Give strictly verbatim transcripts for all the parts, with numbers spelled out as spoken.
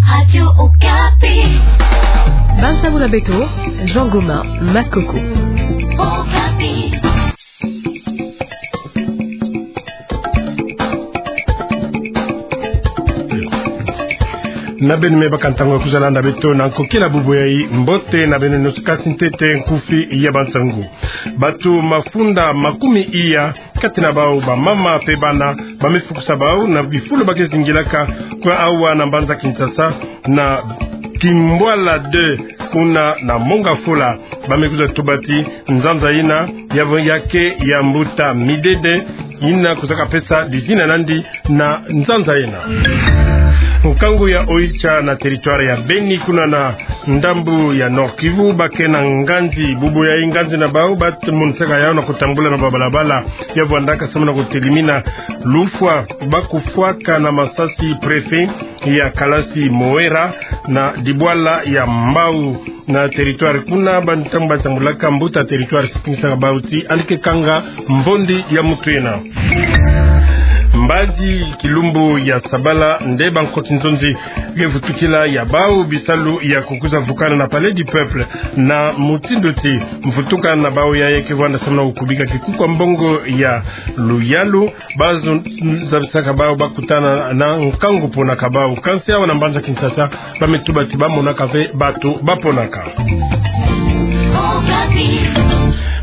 Radio Okapi. Bansango na beto, Jean Gomin Makoko. Okapi. Na beno me baka ntangu ya kwiza landa beto na nkokila bubu yayi, mbote na beno nyonso, kansi ntete nkufi ya bansangu. Bato mafunda makumi iya, kati na bau bamama pe bana, ba me fukusa bau na bifulu ba ke zingilaka kwa awa na mbanza Kinshasa, na Kimbwala deux, kuna na Mont Ngafula. Ba me kwiza tuba ti nzanza yina ya, ya ke ya mbuta midede, yina kwizaka pesa dizina nandi na nzanza yina. Nkangu ya Oicha na territoire ya Beni, kuna na ndambu ya Nord-Kivu, ba ke na nganzi. Bubu yayi nganzi na bau ba monisaka yau na kutambula na babalabala ya vwandaka samu na kutelimina lufwa ba kufwaka na masasi préfet ya kalasi Moera na dibwala ya Mbau na territoire kuna. Bantangu ba tambulaka, mbuta territoire sikimisaka bau ti yandi ke kanga mvondi ya mutu yina. Mbazi kilumbu ya sabala nde bankoti nzonzi ke vutukila ya bau bisalu ya kukwiza vukana na Palais du Peuple, na mutindu ti mvutukana na bau yayi ke vwanda samu na kukubika kikuku ya mbongo ya luyalu. Bazo zabisaka bau ba kutana na nkangu ponaka bau. Kansi awa na mbanza Kinshasa, ba me tuba ti ba monaka ve bato ba ponaka.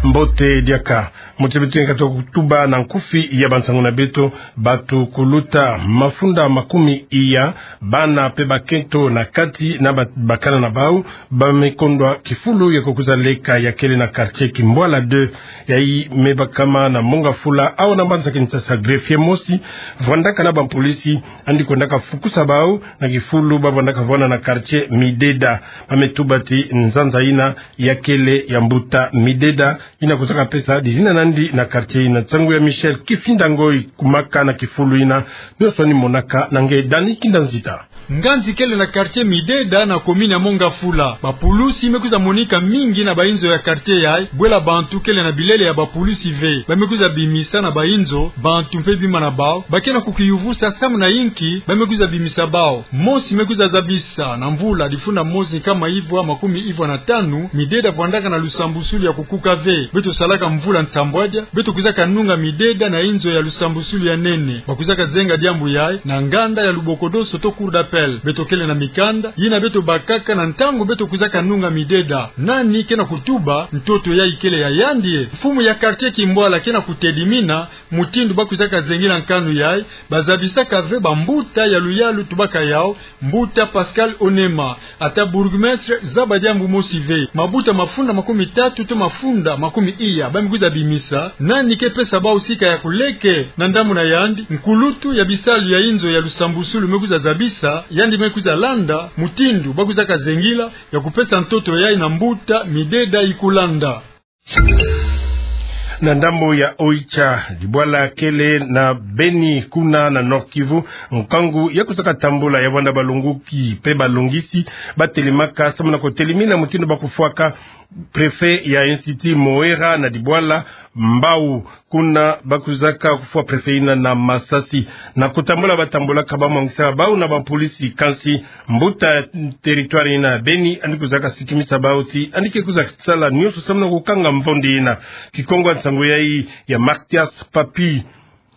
Mbote diaka. Muti beto ni katuka kutuba na nkufi ya bansangu na beto, bato kuluta mafunda makumi iya, bana pe bakento na kati na ba-, bakala na bau, ba me kondwa kifulu ya kukwiza leka ya kele na quartier Kimbwala deux, yayi me bakama na Mont Ngafula, awa na mbanza Kinshasa. Greffier mosi vwandaka na bampolisi, yandi kwendaka fukusa bau na kifulu ba vwandaka vwanda na quartier Mideda. Ba me tuba ti nzanza yina ya kele ya mbuta Mideda, yina kwizaka pesa dizina nandi na quartier yina. Nsangu ya Michel Kifinda Ngoi, kumaka na kifulu yina, nyonso ni monaka na nge Dani Kinda Nzita. Nganzi kele na quartier Mideda na commune ya Mont Ngafula. Bapulusi me kwiza monika mingi na bainzo ya quartier yayi, bwela bantu kele na bilele ya bapulusi ve. Ba me kwiza bimisa na bainzo, bantu mpe bima na bau, ba ke na kukiyuvusa samu na inki ba me kwiza bimisa bau. Mosi me kwiza zabisa, na mvula difunda mosi nkama ivwa makumi ivwa na tanu, Mideda vwandaka na lusambusulu ya kukuka ve. Beto salaka mvula nsambwadia, beto kwizaka nunga Mideda na inzo ya lusambusulu ya nene. Ba kwizaka zenga diambu yayi na nganda ya Lubokodoso to cour d'appel. Beto kele na mikanda yina beto bakaka na ntangu beto kwizaka nunga Mideda. Nani ke na kutuba ntoto yayi kele ya yandi e? Mfumu ya quartier Kimbwala ke na kutelimina mutindu ba kwizaka zengila nkanu yayi. Ba zabisaka ve bambuta ya luyalu, tubaka yau mbuta Pascal Onema. Ata bourgmestre zaba diambu mosi ve. Mabuta mafunda makumi tatu to mafunda makumi iya ba me kwiza bimisa nani ke pesa bau sika ya kuleke na ndambu na yandi. Nkulutu ya bisalu ya inzo ya lusambusulu me kwiza zabisa, yandi me kwiza landa mutindu ba kwizaka zengila ya kupesa ntoto yayi na mbuta Mideda Ikulanda. Na ndambu ya Oicha, dibwala kele na Beni kuna na Nord-Kivu, nkangu ya kwizaka tambula ya vwanda balongoki mpe balongisi ba telemaka samu na kutelimina mutindu ba kufwaka préfet ya Institut Moera na dibwala Mbau. Kuna ba kwizaka kufwa préfet yina na masasi. Na kutambula ba tambulaka, ba mwangisaka bau na bampolisi, kansi mbuta territoire yina Beni yandi kwizaka sikimisa bau ti yandi ke kwiza sala nyonso samu na kukanga mvondi yina. Kikongo ya nsangu yayi ya Mathias Papi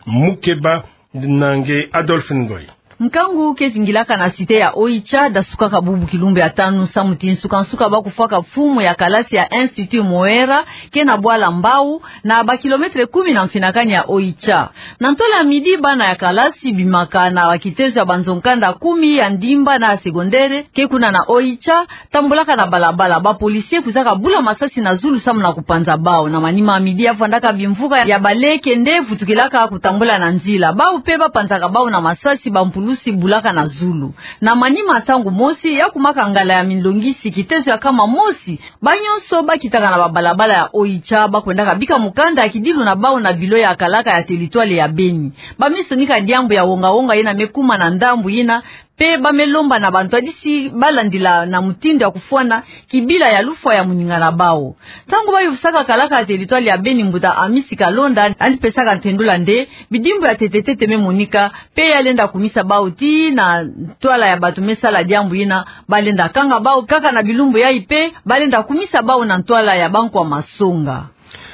Mukeba na nge Adolphe Ngoi. Nkangu ke zingilaka na cité ya Oicha, dasukaka bubu kilumbu ya tanu samu ti nsuka-nsuka ba kufwaka mfumu ya kalasi ya Institut Moera, ke na bwala Mbau, na ba kilomètre kumi na mfinakani ya Oicha. Na ntwala ya midi, bana ya kalasi bimaka na ba kitezo ya banzo nkanda kumi ya ndimba na secondaire ke kuna na Oicha, tambulaka na balabala, ba policiers kwizaka bula masasi na zulu samu na kupanza bau. Na manima ya midi, ya vwandaka bimvuka ya baleke nde vutukilaka kutambula na nzila. Bau mpe ba panzaka bau na masasi, bampulusi bulaka na zulu. Na manima ya ntangu mosi, ya kumaka ngala ya minlongisi, kitezo ya nkama mosi, ba nyonso ba kitaka na babalabala ya Oicha, ba kwendaka bika mukanda ya kidilu na bau na bilo ya kalaka ya territoire ya Beni. Ba me sonika diambu ya wonga-wonga yina me kuma na ndambu yina. Pe ba me lomba na bantwadisi ba landila na mutindu ya kufwana kibila ya lufwa ya moninga na bau. Ntangu ba yuvusaka kalaka ya territoire ya Beni, mbuta Amisi Kalonda, yandi pesaka ntendula nde bidimbu ya ntete-ntete me monika, pe ya lenda kumisa bau tii na ntwala ya bantu me sala diambu yina, ba lenda kanga bau kaka na bilumbu yayi pe ba lenda kumisa bau na ntwala ya bankwa masonga.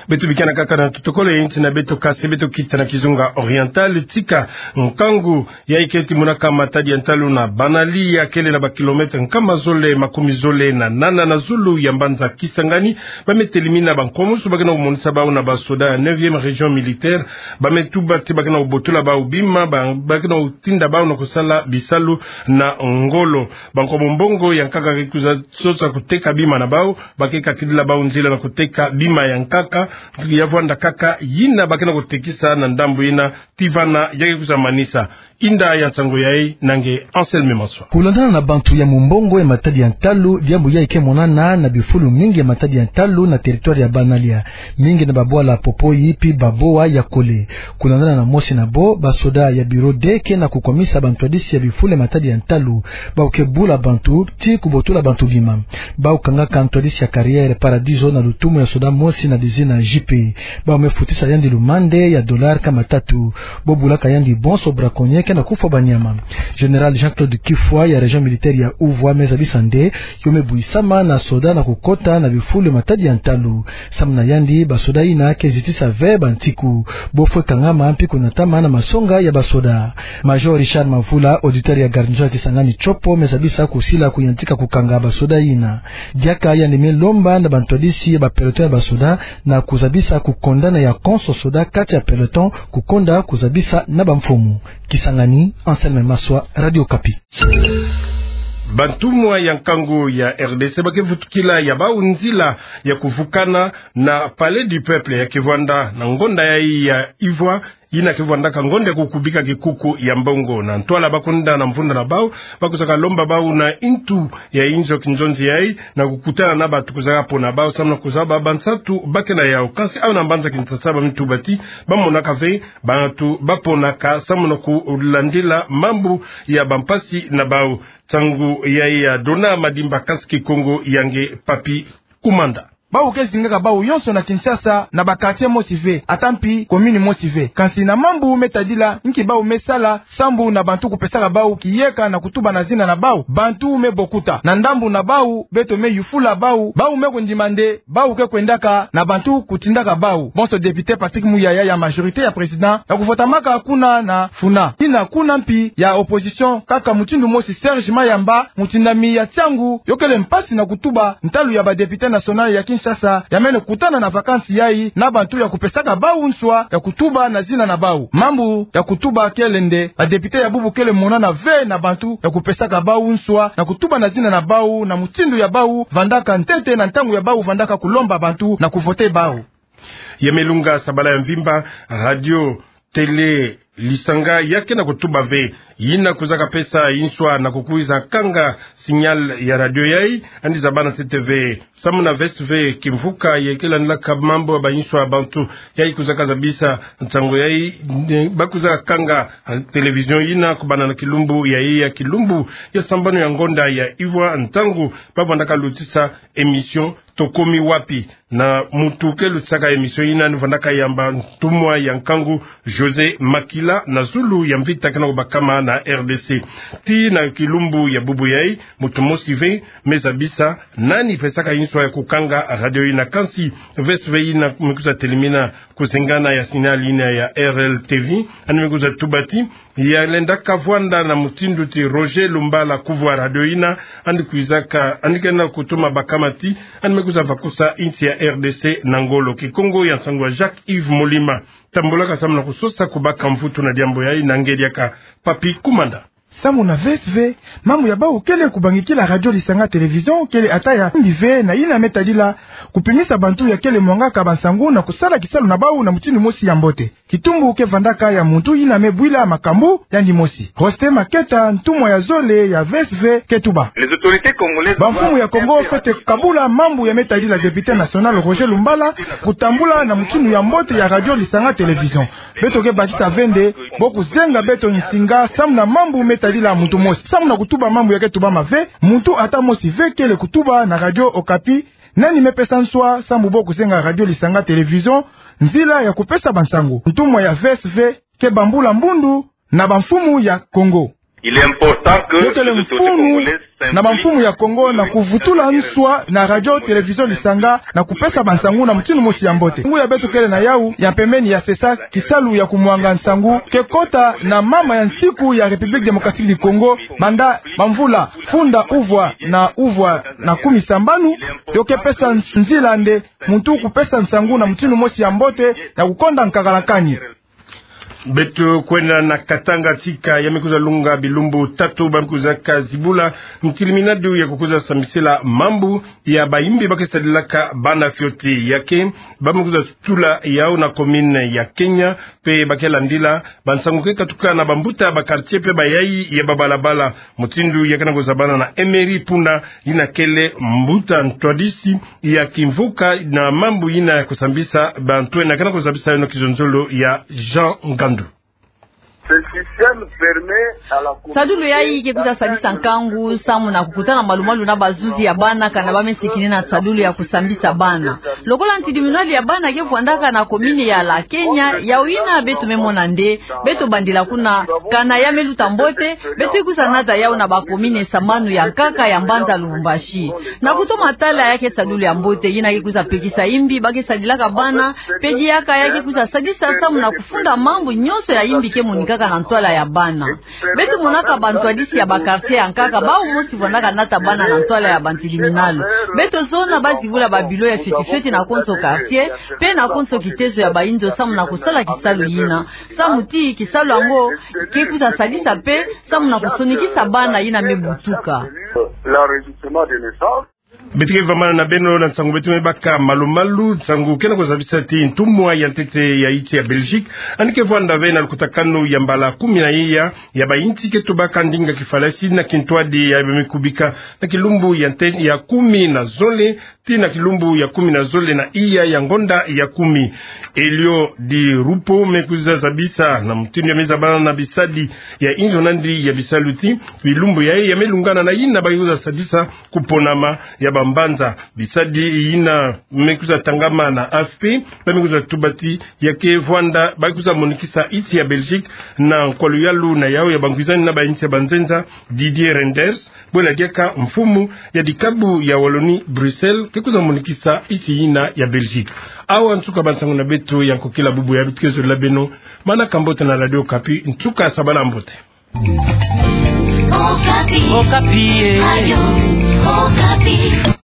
Beto bikana kaka na totokolo ya inti na beto, kasi beto kita na Kizunga Oriental. Tika nkangu yayi keti monaka matadi ya ntalu na Banalia, kele na ba kilomètre nkama zole makumi zole na nana na zulu ya mbanza Kisangani, ba me telimina bankwamusu ba ke na kumonisa bau na basoda ya neuvième région militaire. Ba me tuba ti ba ke na kubotola bau bima, ba, ba ke na kutinda bau na kusala bisalu na ngolo. Bankwa mombongo ya nkaka ke kwiza sosa kuteka bima na bau, ba ke kakidila bau nzila na kuteka bima ya nkaka, ya vwanda kaka yina ba ke na kutekisa na ndambu yina, tii vana ya ke kwiza manisa. Inda ya nsangu yayi na nge Anselme Maswa. Kulandana na bantu ya mombongo ya matadi ya ntalu, diambu yayi ke monana na bifulu mingi ya matadi ya ntalu na territoire ya Banalia. Mingi na babwala Popoyi pi Baboa ya kole. Kulandana na mosi na bo, basoda ya bureau D ke na kukwamisa bantwadisi ya bifulu ya matadi ya ntalu, bau ke bula bantu tii kubotola bantu bima. Bau kangaka ntwadisi ya carrière Paradiso na lutumu ya soda mosi na dizina J P. Bau me futisa yandi lumande ya dollar nkama tatu. Bo bulaka yandi bonso braconnier ke na kufwa banyama. Général Jean-Claude Kifwa ya région militaire ya Uvwa me zabisa nde yo me bwisama na soda na kukota na bifulu ya matadi ya ntalu. Samu na yandi, basoda yina ke zitisa ve bantiku. Bo fwe kangama mpi kunatama na masonga ya basoda. Major Richard Mavula, auditeur ya garnison ya Kisangani Tshopo, me zabisa kusila kuyantika kukanga basoda yina. Diaka yandi me lomba na bantwadisi ya ba peloton ya basoda na kuzabisa kukondana ya konso soda kati ya peloton, kukonda kuzabisa na bamfumu. Kisangani, Anselme Maswa, Radio Okapi. Bantumwa ya nkangu ya R D C ba ke vutukila ya bau nzila ya kuvukana na Palais du Peuple ya ke vwanda na ngonda yayi ya ivwa, yina ke vwandaka ngonda ya kukubika kikuku ya mbongo. Na ntwala ba kwenda na mvunda na bau, ba kwizaka lomba bau na intu ya inzo kinzonzi yayi na kukutana na bantu kwizaka pona bau samu na kuzaba bansatu ba ke na yau. Kansi awu na mbanza Kinshasa ba me tuba ti ba monaka ve bantu ba ponaka samu na kulandila mambu ya bampasi na bau. Nsangu yayi ya Dona Madimba, kansi Kikongo ya nge Papy Kumanda. Bau ke zingaka bau yonso na Kinshasa, na ba quartier mosi ve, ata mpi commune mosi ve. Kansi na mambu me tadila nki bau me sala sambu na bantu kupesaka bau kiyeka na kutuba na zina na bau, bantu me bokuta. Na ndambu na bau, beto me yufula bau, bau me kundima nde bau ke kwendaka na bantu kutindaka bau. Bonso député Patrick Muyaya ya majorité ya président ya kuvotamaka kuna na Funa, yina kuna mpi ya opposition kaka mutindu mosi Serge Mayamba, mutindami ya tiangu yo kele mpasi na kutuba ntalu ya ba député national ya Kinshasa, ya mene kutana na vacances yayi na bantu ya kupesaka bau nswa ya kutuba na zina na bau. Mambu ya kutuba kele nde ba député ya bubu kele monana ve na bantu ya kupesaka bau nswa na kutuba na zina na bau, na mutindu ya bau vandaka ntete na ntangu ya bau vandaka kulomba bantu na kuvoter bau. Ya me lunga sabala ya mvimba, radio télé Lisanga ya ke na kutuba ve yina kwizaka pesa inswa na kukwiza kanga signal ya radio yayi. Yandi zaba na T T V samu na V S V Kimvuka, ya ke landilaka mambu ya ba inswa ya bantu, yayi kwizaka zabisa nsangu yayi, nde ba kwizaka kanga télévision yina kubanda na kilumbu yayi ya kilumbu ya sambanu ya ngonda ya ivwa, ntangu ba vandaka lutisa émission Tokomi Wapi. Na muntu ke lutisaka émission yina ni vandaka yamba ntumwa ya nkangu José Makila na zulu ya mvita ke na kubakama na R D C. Tii na kilumbu ya bubu yayi, muntu mosi ve me zabisa nani pesaka inswa ya kukanga radio yina. Kansi V S V yina me kwiza telimina kuzengana ya signal yina ya R L T V, yandi me kwiza tuba ti ya lendaka vwanda na mutindu ti Roger Lumbala kuvwa radio yina, yandi kwizaka, yandi ke na kutuma bakama ti yandi me kwiza vakusa insi ya R D C na ngolo. Kikongo ya nsangu ya Jacques Yves Molima. Tambulaka samu na kusosa kubaka mvutu na diambu yayi na nge diaka Papy Kumanda. Samu na V S V, mambu ya bau kele kubangikila radio Lisanga télévision kele ata ya mbi ve na yina me tadila kupimisa bantu ya kele mwangaka bansangu na kusala kisalu na bau na mutindu mosi ya mbote. Kitumbu ke vandaka ya muntu yina me bwila makambu yandi mosi. Roste Maketa, ntumwa ya zole ya V S V, ke tuba: Bamfumu ya Kongo fwete kabula mambu ya me tadila député national Roger Lumbala, kutambula na mutinu ya mbote ya radio, lisanga, télévision. Beto ke bakisa ve nde bo kuzenga beto nsinga samu na mambu me tadila muntu mosi. Samu na kutuba mambu ya ke tubama ve, muntu ata mosi ve kele kutuba na Radio Okapi nani me pesa nswa samu bo kuzenga radio, lisanga, télévision, nzila ya kupesa bansangu. Ntumwa ya V S V ke bambula mbundu na bamfumu ya Kongo. Yo kele mfunu na bamfumu ya Kongo na kuvutula nswa na radio, télévision, lisanga, na kupesa bansangu na mutinu mosi ya mbote. Ngu ya beto kele na yau ya mpembeni ya sesa kisalu ya kumwanga nsangu ke kota na mama ya nsiku ya République Démocratique du Congo, banda bamvula funda uvwa na uvwa na kumi sambanu, yo ke pesa nzila nde muntu kupesa nsangu na mutinu mosi ya mbote na kukonda nkakala kani. Beto kwenda na Katanga, tika ya me kwiza lunga bilumbu tatu ba me kwiza kazibula ntiliminadu ya kukwiza sambisila mambu ya bayimbi ba ke sadilaka bana fioti. Ya ke ba me kwiza tula yau na commune ya Kenya, mpe ba ke landila bansangu ke katuka na bambuta ba quartier mpe bayayi ya babalabala. Mutindu ya ke na kuzabana na Emery Punda, yina kele mbuta ntwadisi ya kimvuka na mambu yina ya kusambisa bantu, yina ke na kuzabisa yo na kizonzolo ya Jean Ngandu. Sadulu yayi ke kwiza sadisa nkangu samu na kukutana malu-malu na bazuzi ya bana kana ba me sikini na sadulu ya kusambisa bana. Lokola ntiliminadu ya bana ke vwandaka na commune ya la Kenya, yau yina beto me mona nde beto bandila kuna, kana ya me luta mbote, beto kwiza nata yau na ba commune sambanu ya nkaka ya mbanza Lubumbashi. Na kutoma tala ya ke sadulu ya mbote, yina ke kwiza pekisa yimbi ba ke sadilaka bana, mpe diaka ya ke kwiza sadisa samu na kufunda mambu nyonso ya yimbi ke monikaka na ntwala ya bana. Beto monaka bantwadisi ya ba quartier ya nkaka, bau mosi vwandaka nata bana na ntwala ya bantiliminadu. Beto zona ba zibula ba bureau ya fioti-fioti na konso quartier, mpe na konso kitezo ya bayinzo samu na kusala kisalu yina. Samu ti kisalu yango ke kwiza sadisa mpe samu na kusonikisa bana yina me butuka. Beto ke vambana na beno na nsangu beto me baka malu-malu. Nsangu ke na kuzabisa ti ntumwa ya ntete ya insi ya Belgique, yandi ke vwanda ve na lukutakanu ya mbala kumi na iya ya bayinsi ke tubaka ndinga kifalasi na kintwadi ya ba me kubika na kilumbu ya nte-, ya kumi na zole tii na kilumbu ya kumi na zole na iya ya ngonda ya kumi. Elio Di Rupo me kwiza zabisa na mutindu ya me zabana na bisadi ya inzo na yandi ya bisalu ti bilumbu yayi ya me lungana na yina ba ke kwiza sadisa kuponama ya bambanza. Bisadi yina me kwiza tangama na A F P, ba me kwiza tuba ti ya ke vwanda ba ke kwiza monikisa insi ya Belgique na nkwaluyalu na yau ya bangwizani na bayinsi ya banzenza, Didier Reynders, bwela diaka mfumu ya dikabu ya Wallonie-Bruxelles, ke kwiza monikisa insi yina ya Belgique. Awa nsuka bansangu na beto ya nkokila bubu ya beto ke zolela beno. Manaka mbote na Radio Okapi, nsuka sabala mbote. Okapi. Okapi, eh. Radio Okapi.